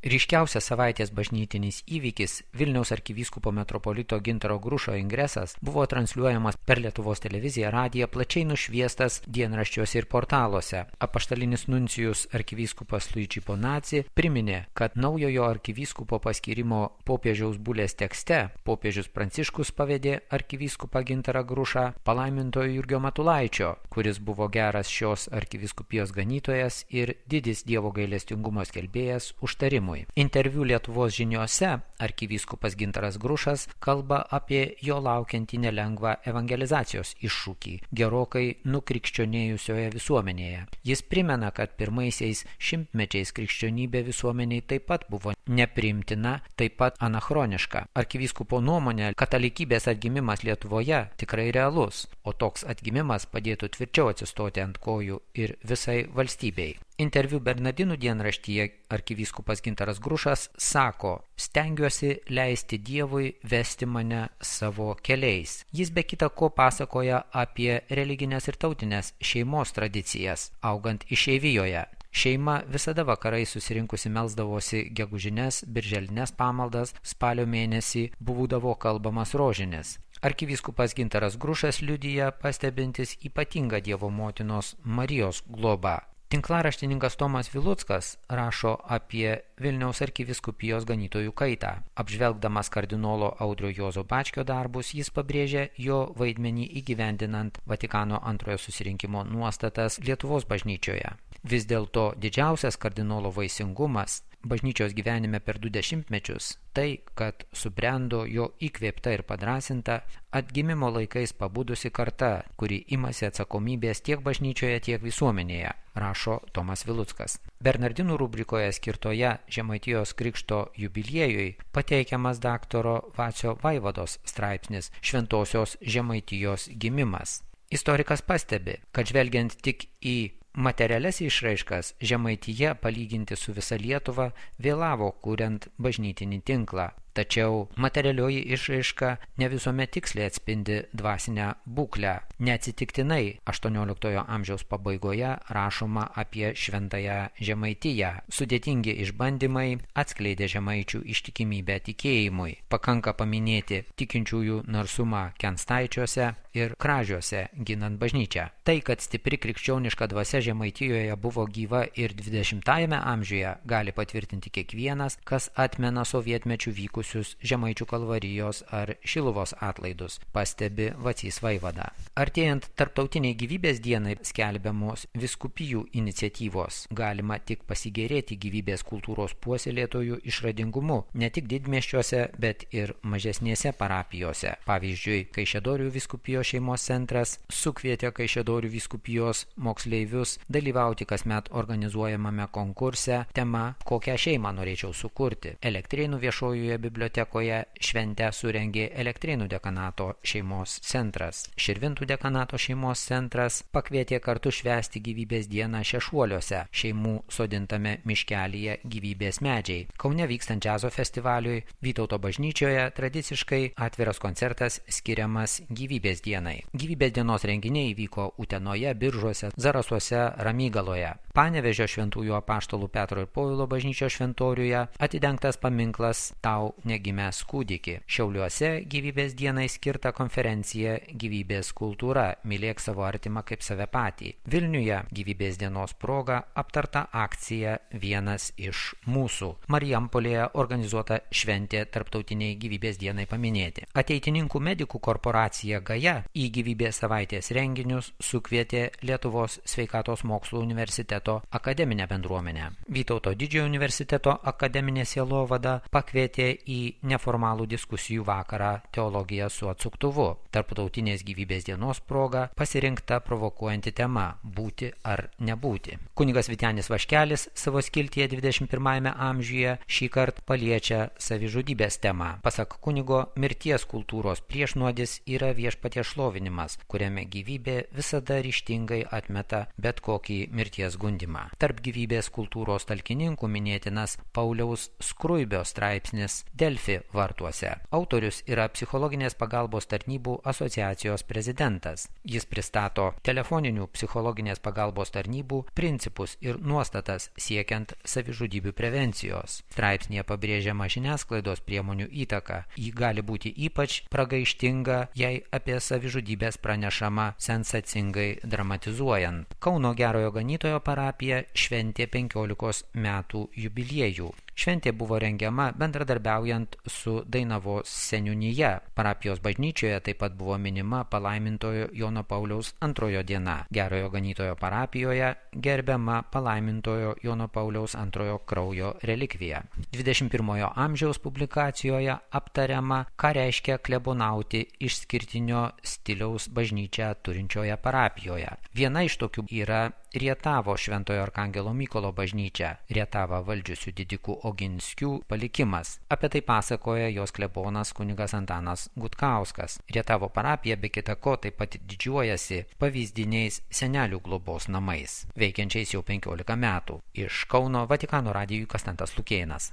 Ryškiausias savaitės bažnytinis įvykis Vilniaus arkivyskupo metropolito Gintaro Grušo ingresas buvo transliuojamas per Lietuvos televiziją, radiją, plačiai nušviestas dienraščiuose ir portaluose. Apaštalinis nuncijus arkivyskupas Luigi Bonazzi priminė, kad naujojo arkivyskupo paskyrimo popiežiaus bulės tekste popiežius Pranciškus pavedė arkivyskupą Gintarą Grušą palaimintojo Jurgio Matulaičio, kuris buvo geras šios arkivyskupijos ganytojas ir didis Dievo gailestingumo skelbėjas užtarimui. Interviu Lietuvos žiniose arkivyskupas Gintaras Grušas kalba apie jo laukiantį nelengvą evangelizacijos iššūkį gerokai nukrikščionėjusioje visuomenėje. Jis primena, kad pirmaisiais šimtmečiais krikščionybė visuomeniai taip pat buvo nepriimtina, taip pat anachroniška. Arkivyskupo nuomonė, katalikybės atgimimas Lietuvoje tikrai realus, o toks atgimimas padėtų tvirčiau atsistoti ant kojų ir visai valstybei. Interviu Bernardinų dienraštyje arkivyskupas Gintaras Grušas sako: stengiuosi leisti Dievui vesti mane savo keliais. Jis be kita ko pasakoja apie religinės ir tautinės šeimos tradicijas, augant išeivijoje. Šeima visada vakarai susirinkusi melsdavosi gegužines, birželines pamaldas, spalio mėnesį būdavo kalbamas rožinis. Arkivyskupas Gintaras Grušas liudija pastebintis ypatingą Dievo motinos Marijos globą. Tinklaraštininkas Tomas Viluckas rašo apie Vilniaus arkivyskupijos ganytojų kaitą. Apžvelgdamas kardinolo Audrio Juozo Bačkio darbus, jis pabrėžia jo vaidmenį įgyvendinant Vatikano antrojo susirinkimo nuostatas Lietuvos bažnyčioje. Vis dėlto didžiausias kardinolo vaisingumas bažnyčios gyvenime per 2 dešimtmečius tai, kad subrendo jo įkvėpta ir padrąsinta atgimimo laikais pabudusi karta, kuri imasi atsakomybės tiek bažnyčioje, tiek visuomenėje, rašo Tomas Viluckas. Bernardinų rubrikoje skirtoje Žemaitijos krikšto jubiliejui pateikiamas daktaro Vacio Vaivados straipsnis Šventosios Žemaitijos gimimas. Istorikas pastebi, kad žvelgiant tik į materialias išraiškas, Žemaitija palyginti su visa Lietuva vėlavo kuriant bažnytinį tinklą. Tačiau materialioji išraiška ne visuomet tiksliai atspindi dvasinę būklę. Neatsitiktinai 18 amžiaus pabaigoje rašoma apie šventąją Žemaitiją. Sudėtingi išbandymai atskleidė žemaičių ištikimybę tikėjimui. Pakanka paminėti tikinčiųjų narsumą Kenstaičiuose ir Kražiuose ginant bažnyčią. Tai, kad stipri krikščioniška dvasia Žemaitijoje buvo gyva ir 20-ame amžiuje, gali patvirtinti kiekvienas, kas atmena sovietmečių vykusius Žemaičių kalvarijos ar Šiluvos atlaidus, pastebi Vacys Vaivada. Artėjant tarptautiniai gyvybės dienai skelbiamos vyskupijų iniciatyvos, galima tik pasigėrėti gyvybės kultūros puoselėtojų išradingumu, ne tik didmiesčiuose, bet ir mažesnėse parapijose. Pavyzdžiui, Kaišiadorių vyskupijos šeimos centras sukvietė Kaišiadorių vyskupijos moksleivius dalyvauti kasmet organizuojamame konkurse tema "Kokią šeimą norėčiau sukurti". Elektrėnų viešojoje bibliotekoje šventę surengė Elektrėnų dekanato šeimos centras. Širvintų dekanato šeimos centras pakvietė kartu švęsti gyvybės dieną Šešuoliuose, šeimų sodintame miškelyje gyvybės medžiai. Kaune vykstant džiazo festivaliui Vytauto bažnyčioje tradiciškai atviras koncertas skiriamas gyvybės dienai. Gyvybės dienos renginiai vyko Utenoje, Biržuose, Zarasuose, Ramygaloje. Panevėžio šventųjų apaštalų Petro ir Povilo bažnyčios šventoriuje atidengtas paminklas Tau negimęs kūdiki. Šiauliuose gyvybės dienai skirta konferencija Gyvybės kultūra – mylėk savo artimą kaip save patį. Vilniuje gyvybės dienos proga aptarta akcija Vienas iš mūsų. Marijampolėje organizuota šventė tarptautiniai gyvybės dienai paminėti. Ateitininkų medikų korporacija Gaja į gyvybės savaitės renginius sukvietė Lietuvos sveikatos mokslų universiteto akademinę bendruomenę. Vytauto didžiojo universiteto akademinė sielovada pakvietė į neformalų diskusijų vakarą Teologija su atsuktuvu. Tarptautinės gyvybės dienos proga pasirinkta provokuojanti tema – būti ar nebūti. Kunigas Vytenis Vaškelis savo skiltyje 21 amžiuje šį kartą paliečia savižudybės temą. Pasak kunigo, mirties kultūros priešnuodis yra viešpaties šlovinimas, kuriame gyvybė visada ryžtingai atmeta bet kokį mirties gundymą. skundimą. Tarp gyvybės kultūros talkininkų minėtinas Pauliaus Skruibio straipsnis Delfi vartuose. Autorius yra psichologinės pagalbos tarnybų asociacijos prezidentas. Jis pristato telefoninių psichologinės pagalbos tarnybų principus ir nuostatas siekiant savižudybių prevencijos. Straipsnėje pabrėžiama žiniasklaidos priemonių įtaka. Ji gali būti ypač pragaištinga, jei apie savižudybės pranešama sensacingai dramatizuojant. Kauno Gerojo Ganytojo parapija šventė 15 metų jubiliejų. Šventė buvo rengiama bendradarbiaujant su Dainavos seniūnija. Parapijos bažnyčioje taip pat buvo minima palaimintojo Jono Pauliaus II diena. Gerojo Ganytojo parapijoje gerbiama palaimintojo Jono Pauliaus II kraujo relikvija. 21 amžiaus publikacijoje aptariama, ką reiškia klebonauti išskirtinio stiliaus bažnyčią turinčioje parapijoje. Viena iš tokių yra Rietavo Šventojo Arkangelo Mykolo bažnyčia, Rietavą valdžiusių didikų Oginskių palikimas. Apie tai pasakoja jos klebonas kunigas Antanas Gutkauskas. Rietavo parapija be kita ko taip pat didžiuojasi pavyzdiniais senelių globos namais, veikiančiais jau 15 metų. Iš Kauno Vatikano radijui Konstantas Lukėnas.